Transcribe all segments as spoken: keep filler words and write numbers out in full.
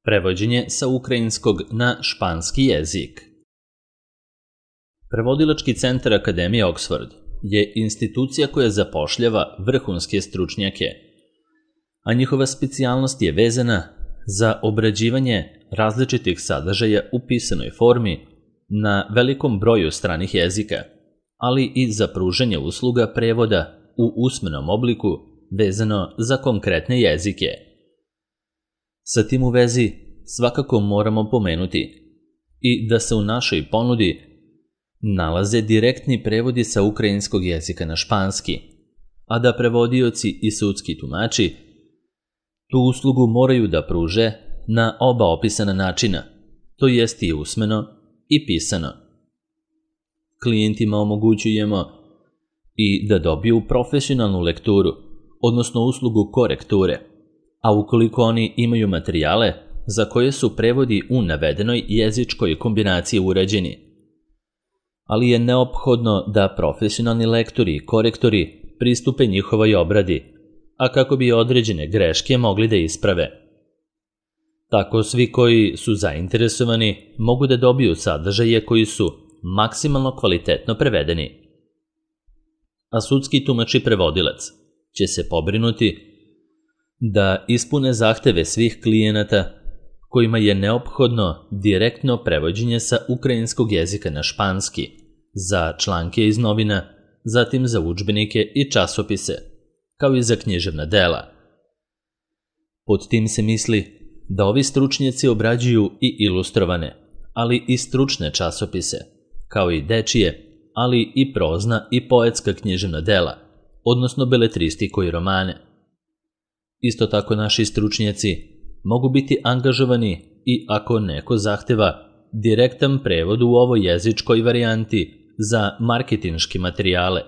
Prevođenje sa ukrajinskog na španski jezik. Prevodilački centar Akademije Oxford je institucija koja zapošljava vrhunske stručnjake, a njihova specijalnost je vezana za obrađivanje različitih sadržaja u pisanoj formi na velikom broju stranih jezika, ali i za pružanje usluga prevoda u usmenom obliku vezano za konkretne jezike. Sa tim u vezi svakako moramo pomenuti i da se u našoj ponudi nalaze direktni prevodi sa ukrajinskog jezika na španski, a da prevodioci i sudski tumači tu uslugu moraju da pruže na oba opisana načina, to jest i usmeno i pisano. Klijentima omogućujemo i da dobiju profesionalnu lekturu, odnosno uslugu korekture, a ukoliko oni imaju materijale za koje su prevodi u navedenoj jezičkoj kombinaciji urađeni. Ali je neophodno da profesionalni lektori i korektori pristupe njihovoj obradi, a kako bi određene greške mogli da isprave. Tako svi koji su zainteresovani mogu da dobiju sadržaje koji su maksimalno kvalitetno prevedeni. A sudski tumač i prevodilac će se pobrinuti da ispune zahteve svih klijenata kojima je neophodno direktno prevođenje sa ukrajinskog jezika na španski za članke iz novina, zatim za udžbenike i časopise, kao i za književna dela. Pod tim se misli da ovi stručnjaci obrađuju i ilustrovane, ali i stručne časopise, kao i dečije, ali i prozna i poetska književna dela, odnosno beletristiku i romane. Isto tako naši stručnjaci mogu biti angažovani i ako neko zahteva direktan prevod u ovoj jezičkoj varijanti za marketinške materijale,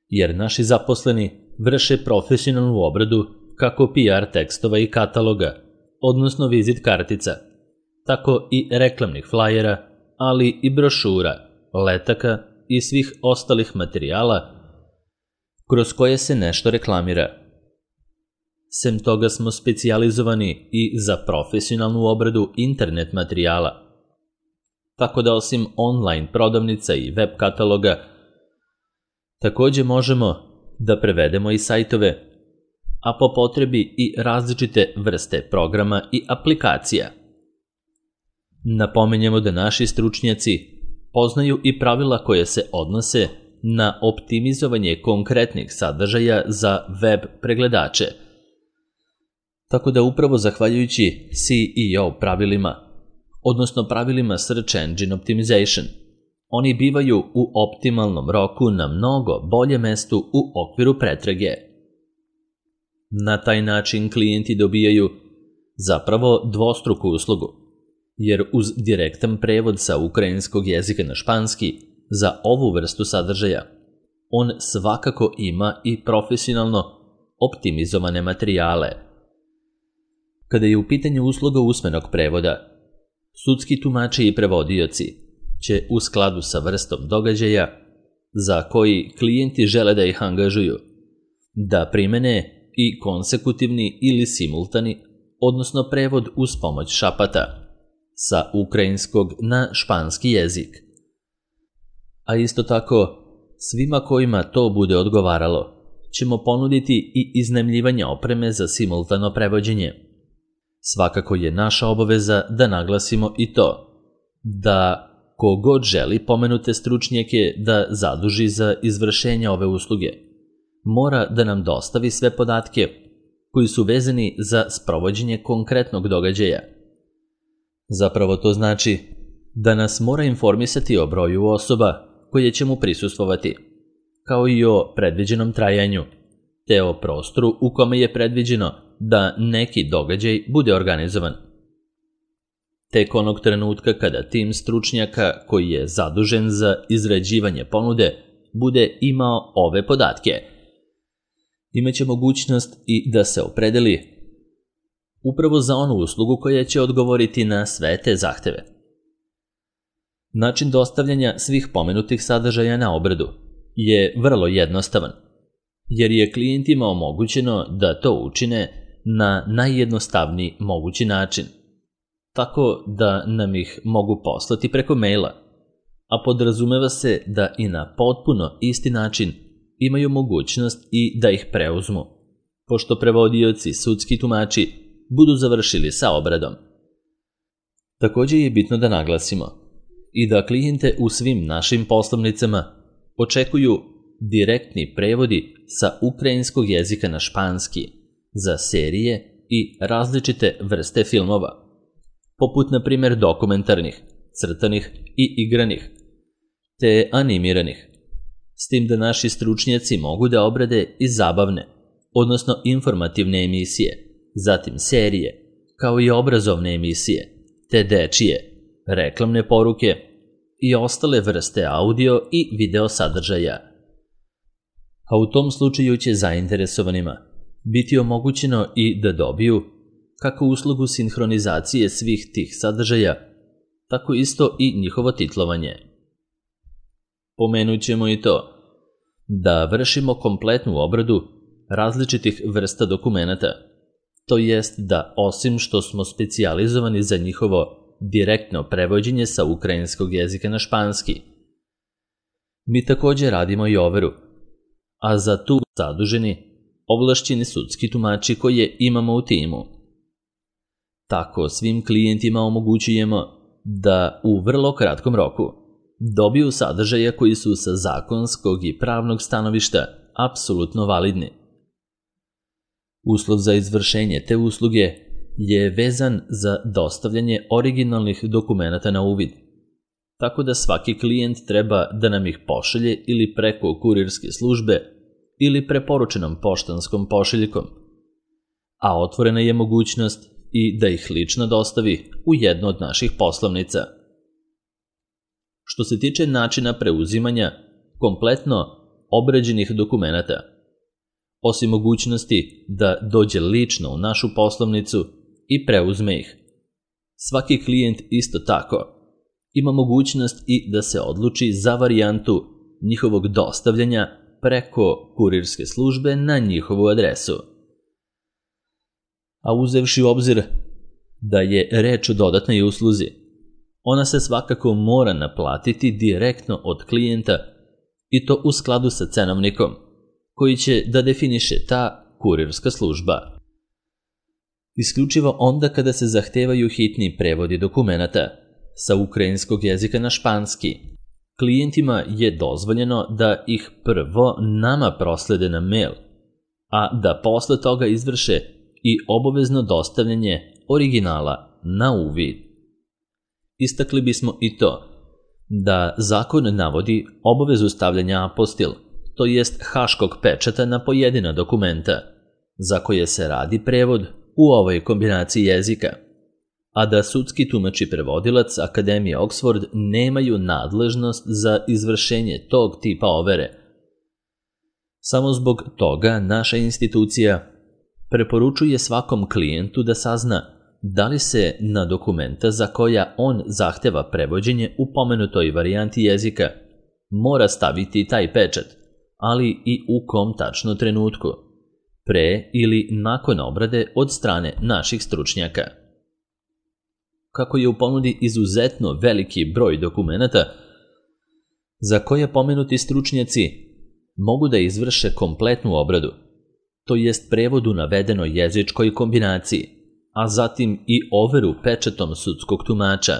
jer naši zaposleni vrše profesionalnu obradu kako P R tekstova i kataloga, odnosno vizit kartica, tako i reklamnih flajera, ali i brošura, letaka i svih ostalih materijala kroz koje se nešto reklamira. Sem toga smo specijalizovani i za profesionalnu obradu internet materijala, tako da osim online prodavnica i web kataloga, takođe možemo da prevedemo i sajtove, a po potrebi i različite vrste programa i aplikacija. Napomenjemo da naši stručnjaci poznaju i pravila koje se odnose na optimizovanje konkretnih sadržaja za web pregledače, tako da upravo zahvaljujući S E O pravilima, odnosno pravilima Search Engine Optimization, oni bivaju u optimalnom roku na mnogo bolje mestu u okviru pretrage. Na taj način klijenti dobijaju zapravo dvostruku uslugu, jer uz direktan prevod sa ukrajinskog jezika na španski za ovu vrstu sadržaja, on svakako ima i profesionalno optimizovane materijale. Kada je u pitanju usluga usmenog prevoda, sudski tumači i prevodioci će u skladu sa vrstom događaja za koji klijenti žele da ih angažuju, da primene i konsekutivni ili simultani, odnosno prevod uz pomoć šapata, sa ukrajinskog na španski jezik. A isto tako, svima kojima to bude odgovaralo, ćemo ponuditi i iznajmljivanje opreme za simultano prevođenje. Svakako je naša obaveza da naglasimo i to, da kogod želi pomenute stručnjake da zaduži za izvršenje ove usluge, mora da nam dostavi sve podatke koji su vezani za sprovođenje konkretnog događaja. Zapravo to znači da nas mora informisati o broju osoba koje će mu prisustvovati, kao i o predviđenom trajanju, te o prostoru u kome je predviđeno da neki događaj bude organizovan. Tek onog trenutka kada tim stručnjaka koji je zadužen za izrađivanje ponude bude imao ove podatke, imaće mogućnost i da se opredeli upravo za onu uslugu koja će odgovoriti na sve te zahteve. Način dostavljanja svih pomenutih sadržaja na obradu je vrlo jednostavan, jer je klijentima omogućeno da to učine na najjednostavniji mogući način, tako da nam ih mogu poslati preko maila, a podrazumeva se da i na potpuno isti način imaju mogućnost i da ih preuzmu, pošto prevodioci, sudski tumači, budu završili sa obradom. Također je bitno da naglasimo i da klijente u svim našim poslovnicama očekuju direktni prevodi sa ukrajinskog jezika na španski za serije i različite vrste filmova, poput na primjer dokumentarnih, crtanih i igranih, te animiranih, s tim da naši stručnjaci mogu da obrade i zabavne, odnosno informativne emisije, zatim serije, kao i obrazovne emisije, te dečije, reklamne poruke i ostale vrste audio i video sadržaja. A u tom slučaju će zainteresovanima biti omogućeno i da dobiju kako uslugu sinhronizacije svih tih sadržaja, tako isto i njihovo titlovanje. Pomenut ćemo i to da vršimo kompletnu obradu različitih vrsta dokumenata, to jest da osim što smo specijalizovani za njihovo direktno prevođenje sa ukrajinskog jezika na španski, mi također radimo i overu, a za tu zaduženi ovlašćeni sudski tumači koje imamo u timu. Tako svim klijentima omogućujemo da u vrlo kratkom roku dobiju sadržaje koji su sa zakonskog i pravnog stanovišta apsolutno validni. Uslov za izvršenje te usluge je vezan za dostavljanje originalnih dokumenata na uvid, tako da svaki klijent treba da nam ih pošalje ili preko kurirske službe ili preporučenom poštanskom pošiljkom, a otvorena je mogućnost i da ih lično dostavi u jednu od naših poslovnica. Što se tiče načina preuzimanja kompletno obrađenih dokumenata, osim mogućnosti da dođe lično u našu poslovnicu i preuzme ih, svaki klijent isto tako ima mogućnost i da se odluči za varijantu njihovog dostavljanja preko kurirske službe na njihovu adresu. A uzevši u obzir da je reč o dodatnoj usluzi, ona se svakako mora naplatiti direktno od klijenta i to u skladu sa cenovnikom koji će da definiše ta kurirska služba. Isključivo onda kada se zahtevaju hitni prevodi dokumenata sa ukrajinskog jezika na španski, klijentima je dozvoljeno da ih prvo nama proslede na mail, a da posle toga izvrše i obavezno dostavljanje originala na uvid. Istakli bismo i to da zakon navodi obavezu stavljanja apostil, to jest haškog pečata na pojedina dokumenta, za koje se radi prevod u ovoj kombinaciji jezika, a da sudski tumač i prevodilac Akademije Oxford nemaju nadležnost za izvršenje tog tipa overe. Samo zbog toga naša institucija preporučuje svakom klijentu da sazna da li se na dokumenta za koja on zahteva prevođenje u pomenutoj varijanti jezika mora staviti taj pečat, ali i u kom tačno trenutku, pre ili nakon obrade od strane naših stručnjaka. Kako je u ponudi izuzetno veliki broj dokumenata za koje pomenuti stručnjaci mogu da izvrše kompletnu obradu, to jest prevod u navedenoj jezičkoj kombinaciji, a zatim i overu pečatom sudskog tumača,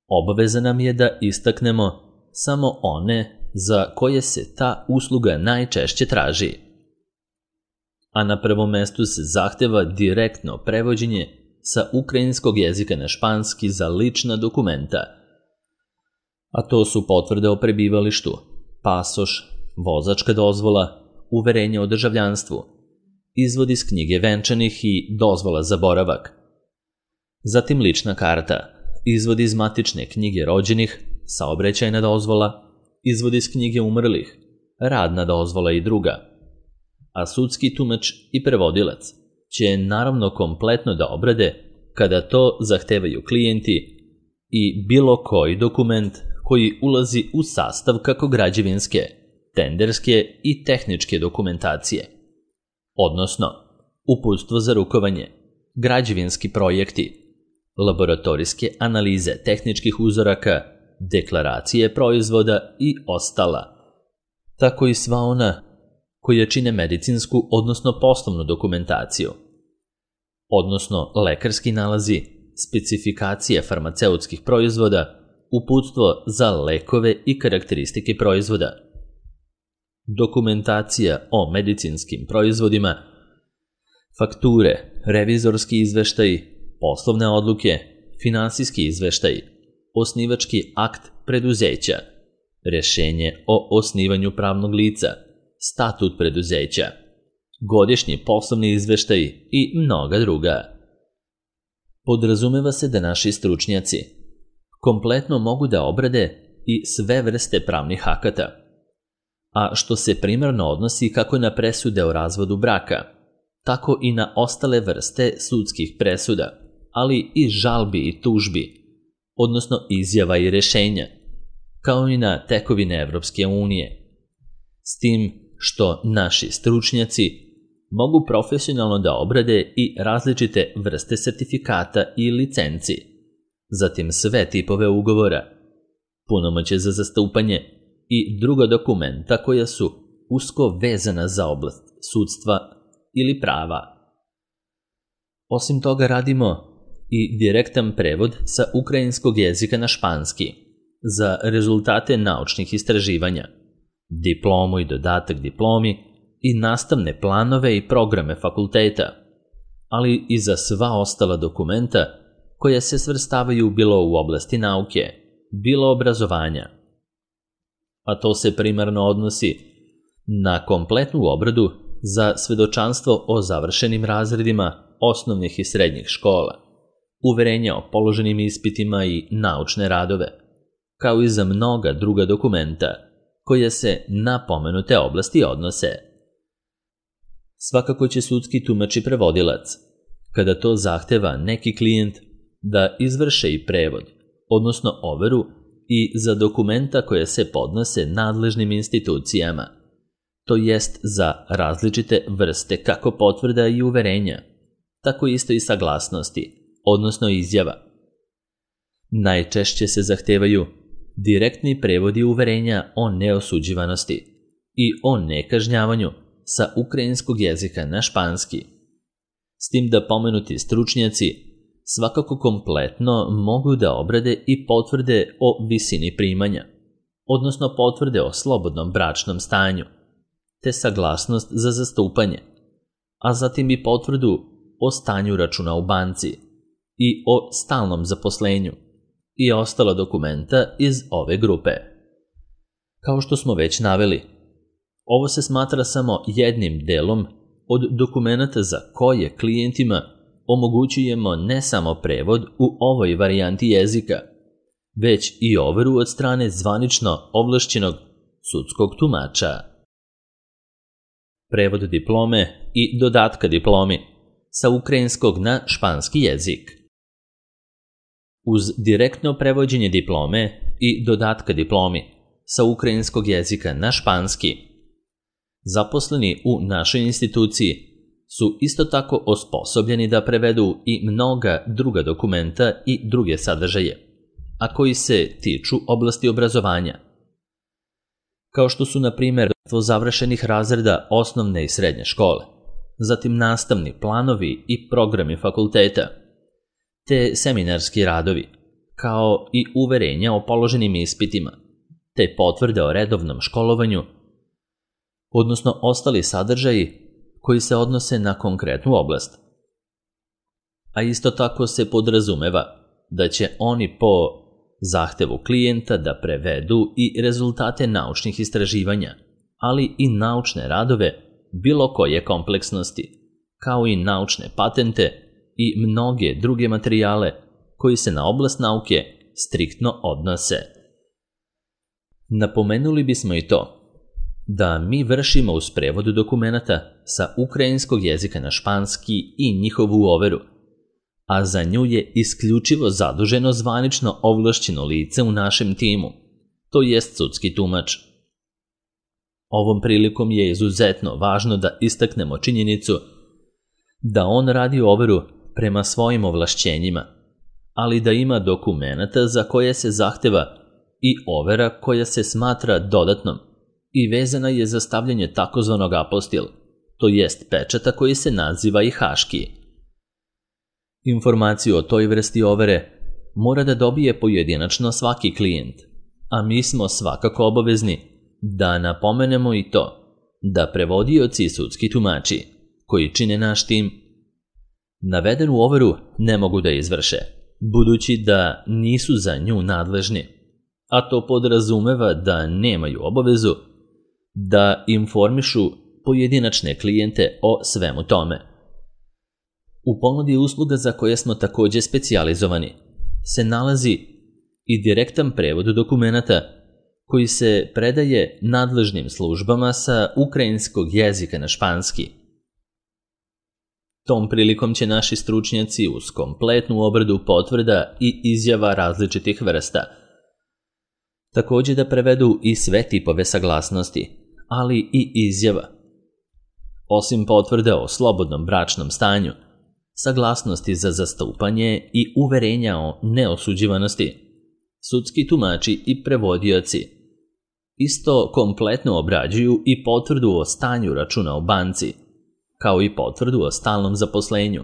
obaveza nam je da istaknemo samo one za koje se ta usluga najčešće traži. A na prvom mestu se zahteva direktno prevođenje sa ukrajinskog jezika na španski za lična dokumenta, a to su potvrde o prebivalištu, pasoš, vozačka dozvola, uverenje o državljanstvu, izvod iz knjige venčanih i dozvola za boravak, zatim lična karta, izvod iz matične knjige rođenih, saobraćajna dozvola, izvod iz knjige umrlih, radna dozvola i druga, a sudski tumač i prevodilac će naravno kompletno da obrade kada to zahtevaju klijenti i bilo koji dokument koji ulazi u sastav kako građevinske, tenderske i tehničke dokumentacije, odnosno uputstvo za rukovanje, građevinski projekti, laboratorijske analize tehničkih uzoraka, deklaracije proizvoda i ostala, tako i sva ona koja čine medicinsku, odnosno poslovnu dokumentaciju, odnosno lekarski nalazi, specifikacije farmaceutskih proizvoda, uputstvo za lekove i karakteristike proizvoda, dokumentacija o medicinskim proizvodima, fakture, revizorski izveštaji, poslovne odluke, finansijski izveštaji, osnivački akt preduzeća, rešenje o osnivanju pravnog lica, statut preduzeća, godišnji poslovni izveštaji i mnoga druga. Podrazumeva se da naši stručnjaci kompletno mogu da obrade i sve vrste pravnih akata, a što se primarno odnosi kako na presude o razvodu braka, tako i na ostale vrste sudskih presuda, ali i žalbi i tužbi, odnosno izjava i rešenja, kao i na tekovine Evropske unije. S tim što naši stručnjaci mogu profesionalno da obrade i različite vrste sertifikata i licenci, zatim sve tipove ugovora, punomoćje za zastupanje i druga dokumenta koja su usko vezana za oblast sudstva ili prava. Osim toga radimo i direktan prevod sa ukrajinskog jezika na španski za rezultate naučnih istraživanja, diplomu i dodatak diplomi i nastavne planove i programe fakulteta, ali i za sva ostala dokumenta koja se svrstavaju bilo u oblasti nauke, bilo obrazovanja. A to se primarno odnosi na kompletnu obradu za svedočanstvo o završenim razredima osnovnih i srednjih škola, uverenja o položenim ispitima i naučne radove, kao i za mnoga druga dokumenta koje se na pomenute oblasti odnose. Svakako će sudski tumač i prevodilac, kada to zahteva neki klijent, da izvrše i prevod, odnosno overu i za dokumenta koje se podnose nadležnim institucijama, to jest za različite vrste kako potvrda i uverenja, tako isto i saglasnosti, odnosno izjava. Najčešće se zahtevaju direktni prevodi uverenja o neosuđivanosti i o nekažnjavanju sa ukrajinskog jezika na španski, s tim da pomenuti stručnjaci svakako kompletno mogu da obrade i potvrde o visini primanja, odnosno potvrde o slobodnom bračnom stanju, te saglasnost za zastupanje, a zatim i potvrdu o stanju računa u banci i o stalnom zaposlenju i ostala dokumenta iz ove grupe. Kao što smo već naveli, ovo se smatra samo jednim delom od dokumenta za koje klijentima omogućujemo ne samo prevod u ovoj varijanti jezika, već i overu od strane zvanično ovlašćenog sudskog tumača. Prevod diplome i dodatka diplomi sa ukrajinskog na španski jezik. Uz direktno prevođenje diplome i dodatka diplomi sa ukrajinskog jezika na španski, zaposleni u našoj instituciji su isto tako osposobljeni da prevedu i mnoga druga dokumenta i druge sadržaje, a koji se tiču oblasti obrazovanja, kao što su, na primjer, završenih razreda osnovne i srednje škole, zatim nastavni planovi i programi fakulteta, te seminarski radovi, kao i uverenja o položenim ispitima, te potvrde o redovnom školovanju, odnosno ostali sadržaji koji se odnose na konkretnu oblast. A isto tako se podrazumeva da će oni po zahtevu klijenta da prevedu i rezultate naučnih istraživanja, ali i naučne radove bilo koje kompleksnosti, kao i naučne patente i mnoge druge materijale koji se na oblast nauke striktno odnose. Napomenuli bismo i to da mi vršimo uz prevod dokumenata sa ukrajinskog jezika na španski i njihovu overu, a za nju je isključivo zaduženo zvanično ovlašćeno lice u našem timu, to jest sudski tumač. Ovom prilikom je izuzetno važno da istaknemo činjenicu da on radi overu prema svojim ovlašćenjima, ali da ima dokumenata za koje se zahteva i overa koja se smatra dodatnom i vezana je za stavljanje takozvanog apostil, to jest pečata koji se naziva i haški. Informaciju o toj vrsti overe mora da dobije pojedinačno svaki klijent, a mi smo svakako obavezni da napomenemo i to da prevodioci i sudski tumači koji čine naš tim navedenu overu ne mogu da izvrše, budući da nisu za nju nadležni, a to podrazumeva da nemaju obavezu da informišu pojedinačne klijente o svemu tome. U ponudi usluga za koje smo takođe specijalizovani se nalazi i direktan prevod dokumenata koji se predaje nadležnim službama sa ukrajinskog jezika na španski. Tom prilikom će naši stručnjaci uz kompletnu obradu potvrda i izjava različitih vrsta takođe da prevedu i sve tipove saglasnosti, ali i izjava. Osim potvrda o slobodnom bračnom stanju, saglasnosti za zastupanje i uverenja o neosuđivanosti, sudski tumači i prevodioci isto kompletno obrađuju i potvrdu o stanju računa u banci, kao i potvrdu o stalnom zaposlenju,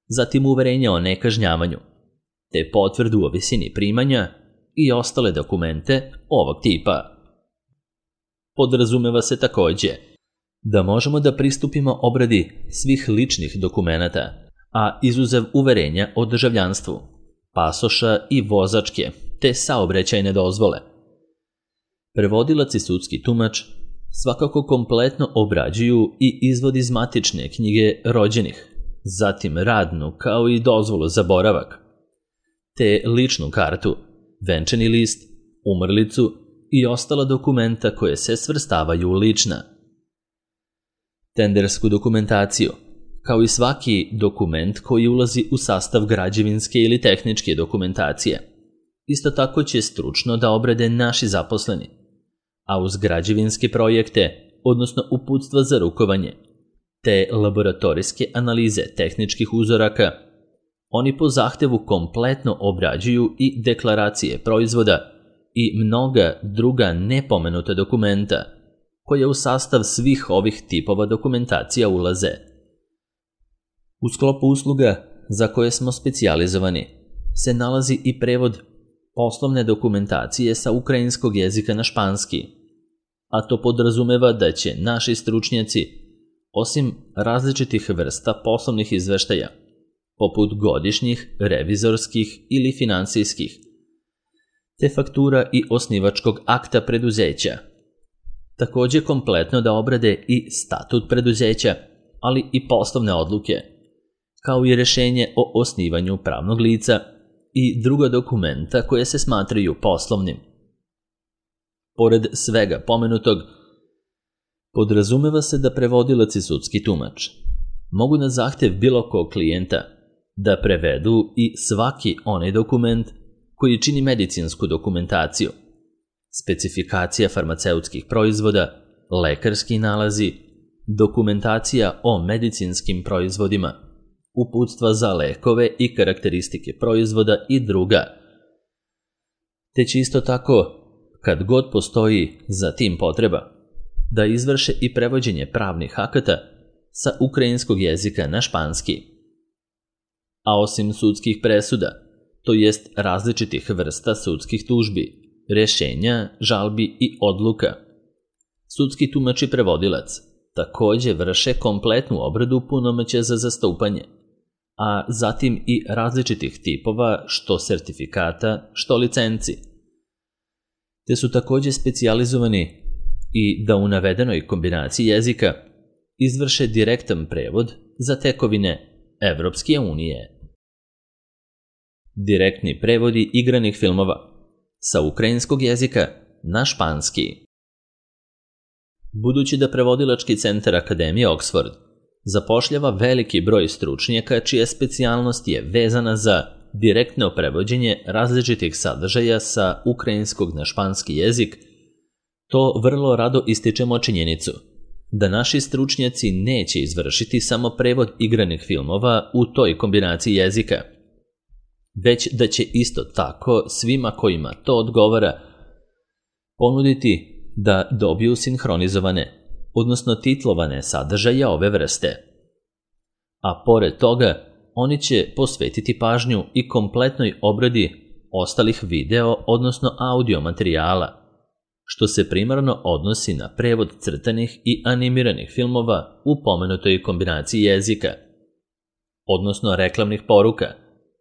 zatim uverenja o nekažnjavanju, te potvrdu o visini primanja i ostale dokumente ovog tipa. Podrazumeva se takođe da možemo da pristupimo obradi svih ličnih dokumenata, a izuzev uverenja o državljanstvu, pasoša i vozačke, te saobraćajne dozvole. Prevodilac i sudski tumač svakako kompletno obrađuju i izvod iz matične knjige rođenih, zatim radnu kao i dozvolu za boravak, te ličnu kartu, venčani list, umrlicu i ostala dokumenta koje se svrstavaju u lična. Tendersku dokumentaciju, kao i svaki dokument koji ulazi u sastav građevinske ili tehničke dokumentacije, isto tako će stručno da obrade naši zaposleni, a uz građevinske projekte, odnosno uputstva za rukovanje, te laboratorijske analize tehničkih uzoraka, oni po zahtevu kompletno obrađuju i deklaracije proizvoda i mnoga druga nepomenuta dokumenta, koja u sastav svih ovih tipova dokumentacija ulaze. U sklopu usluga za koje smo specijalizovani se nalazi i prevod poslovne dokumentacije sa ukrajinskog jezika na španski, a to podrazumeva da će naši stručnjaci, osim različitih vrsta poslovnih izveštaja, poput godišnjih, revizorskih ili finansijskih, te faktura i osnivačkog akta preduzeća, takođe kompletno da obrade i statut preduzeća, ali i poslovne odluke, kao i rešenje o osnivanju pravnog lica i druga dokumenta koje se smatraju poslovnim. Pored svega pomenutog, podrazumeva se da prevodilac i sudski tumač mogu na zahtev bilo kog klijenta da prevedu i svaki onaj dokument koji čini medicinsku dokumentaciju, specifikacija farmaceutskih proizvoda, lekarski nalazi, dokumentacija o medicinskim proizvodima, uputstva za lekove i karakteristike proizvoda i druga. Te će isto tako, kad god postoji za tim potreba, da izvrše i prevođenje pravnih akata sa ukrajinskog jezika na španski. A osim sudskih presuda, to jest različitih vrsta sudskih tužbi, rešenja, žalbi i odluka, sudski tumač i prevodilac takođe vrše kompletnu obradu punomoćja za zastupanje, a zatim i različitih tipova što sertifikata, što licenci. Te su takođe specijalizovani i da u navedenoj kombinaciji jezika izvrše direktan prevod za tekovine Evropske unije. Direktni prevodi igranih filmova sa ukrajinskog jezika na španski. Budući da prevodilački centar Akademije Oxford zapošljava veliki broj stručnjaka čija specijalnost je vezana za direktno prevođenje različitih sadržaja sa ukrajinskog na španski jezik, to vrlo rado ističemo činjenicu da naši stručnjaci neće izvršiti samo prevod igranih filmova u toj kombinaciji jezika, već da će isto tako svima kojima to odgovara ponuditi da dobiju sinhronizovane, odnosno titlovane sadržaje ove vrste. A pored toga, oni će posvetiti pažnju i kompletnoj obradi ostalih video, odnosno audio materijala, što se primarno odnosi na prevod crtanih i animiranih filmova u pomenutoj kombinaciji jezika, odnosno reklamnih poruka,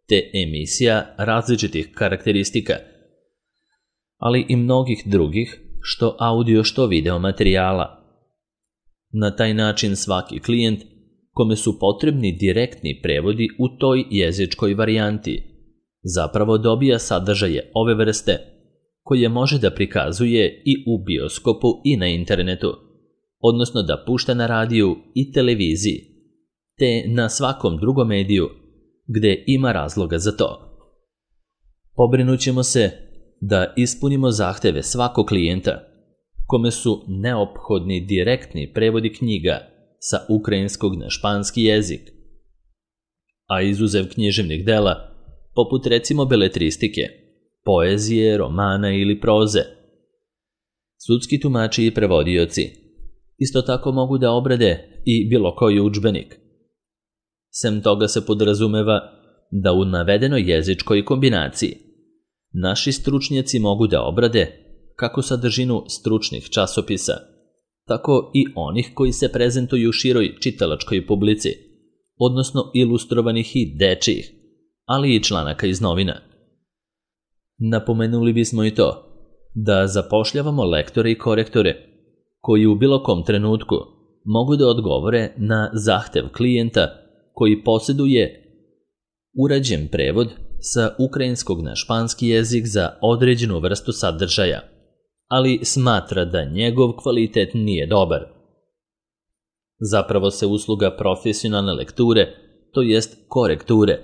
te emisija različitih karakteristika, ali i mnogih drugih, što audio što video materijala. Na taj način svaki klijent kome su potrebni direktni prevodi u toj jezičkoj varijanti zapravo dobija sadržaje ove vrste koje može da prikazuje i u bioskopu i na internetu, odnosno da pušta na radiju i televiziji, te na svakom drugom mediju gde ima razloga za to. Pobrinut ćemo se da ispunimo zahteve svakog klijenta kome su neophodni direktni prevodi knjiga sa ukrajinskog na španski jezik, a izuzev književnih dela, poput recimo beletristike, poezije, romana ili proze. Sudski tumači i prevodioci isto tako mogu da obrade i bilo koji udžbenik. Sem toga se podrazumeva da u navedenoj jezičkoj kombinaciji naši stručnjaci mogu da obrade kako sadržinu stručnih časopisa, tako i onih koji se prezentuju široj čitalačkoj publici, odnosno ilustrovanih i dečijih, ali i članaka iz novina. Napomenuli bismo i to da zapošljavamo lektore i korektore koji u bilo kom trenutku mogu da odgovore na zahtev klijenta koji posjeduje urađen prevod sa ukrajinskog na španski jezik za određenu vrstu sadržaja, ali smatra da njegov kvalitet nije dobar. Zapravo se usluga profesionalne lekture, to jest korekture,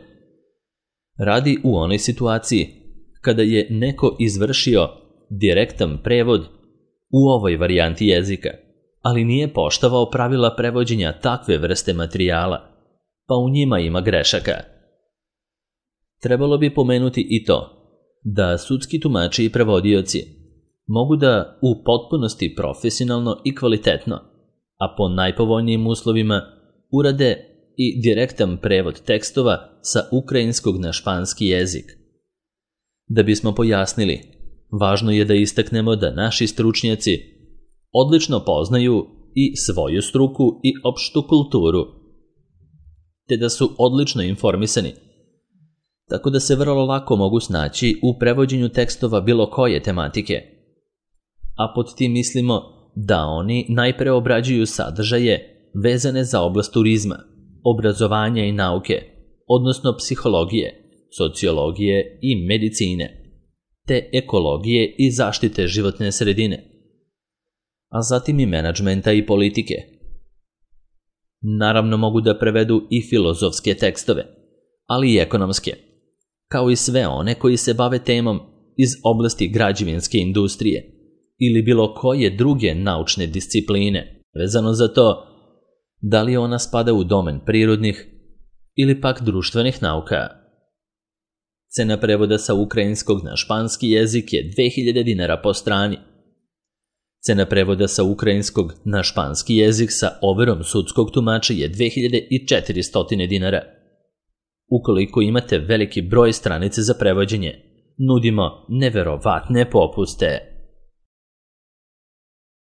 radi u onoj situaciji kada je neko izvršio direktan prevod u ovoj varijanti jezika, ali nije poštovao pravila prevođenja takve vrste materijala, pa u njima ima grešaka. Trebalo bi pomenuti i to da sudski tumači i prevodioci mogu da u potpunosti profesionalno i kvalitetno, a po najpovoljnijim uslovima, urade i direktan prevod tekstova sa ukrajinskog na španski jezik. Da bismo pojasnili, važno je da istaknemo da naši stručnjaci odlično poznaju i svoju struku i opštu kulturu, te da su odlično informisani, tako da se vrlo lako mogu snaći u prevođenju tekstova bilo koje tematike. A pod tim mislimo da oni najpre obrađuju sadržaje vezane za oblast turizma, obrazovanja i nauke, odnosno psihologije, sociologije i medicine, te ekologije i zaštite životne sredine, a zatim i menadžmenta i politike. Naravno mogu da prevedu i filozofske tekstove, ali i ekonomske, kao i sve one koji se bave temom iz oblasti građevinske industrije ili bilo koje druge naučne discipline, vezano za to da li ona spada u domen prirodnih ili pak društvenih nauka. Cena prevoda sa ukrajinskog na španski jezik je dve hiljade dinara po strani. Cena prevoda sa ukrajinskog na španski jezik sa overom sudskog tumača je dve hiljade četiristo dinara. Ukoliko imate veliki broj stranice za prevođenje, nudimo neverovatne popuste.